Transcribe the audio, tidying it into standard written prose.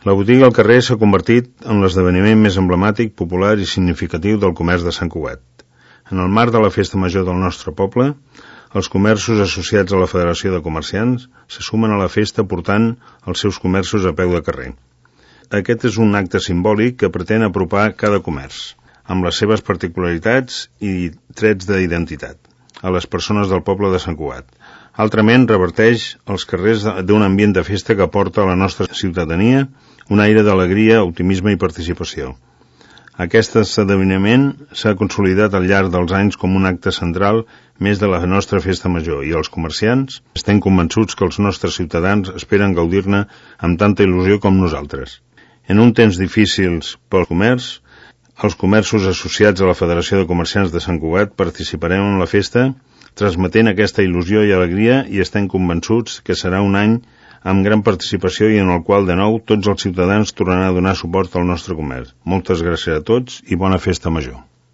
La botiga al carrer s'ha convertit en l'esdeveniment més emblemàtic, popular i significatiu del comerç de Sant Cugat. En el marc de la festa major del nostre poble, els comerços associats a la Federació de Comerciants se sumen a la festa portant els seus comerços a peu de carrer. Aquest és un acte simbòlic que pretén apropar cada comerç, amb les seves particularitats i trets d'identitat, a les persones del poble de Sant Cugat. Altrament, reverteix els carrers d'un ambient de festa que aporta a la nostra ciutadania un aire d'alegria, optimisme i participació. Aquest esdeveniment s'ha consolidat al llarg dels anys com un acte central més de la nostra festa major i els comerciants estem convençuts que els nostres ciutadans esperen gaudir-ne amb tanta il·lusió com nosaltres. En un temps difícils pel comerç, els comerços associats a la Federació de Comerciants de Sant Cugat participarem en la festa transmetent aquesta il·lusió i alegria i estem convençuts que serà un any amb gran participació i en el qual, de nou, tots els ciutadans tornaran a donar suport al nostre comerç. Moltes gràcies a tots i bona festa major.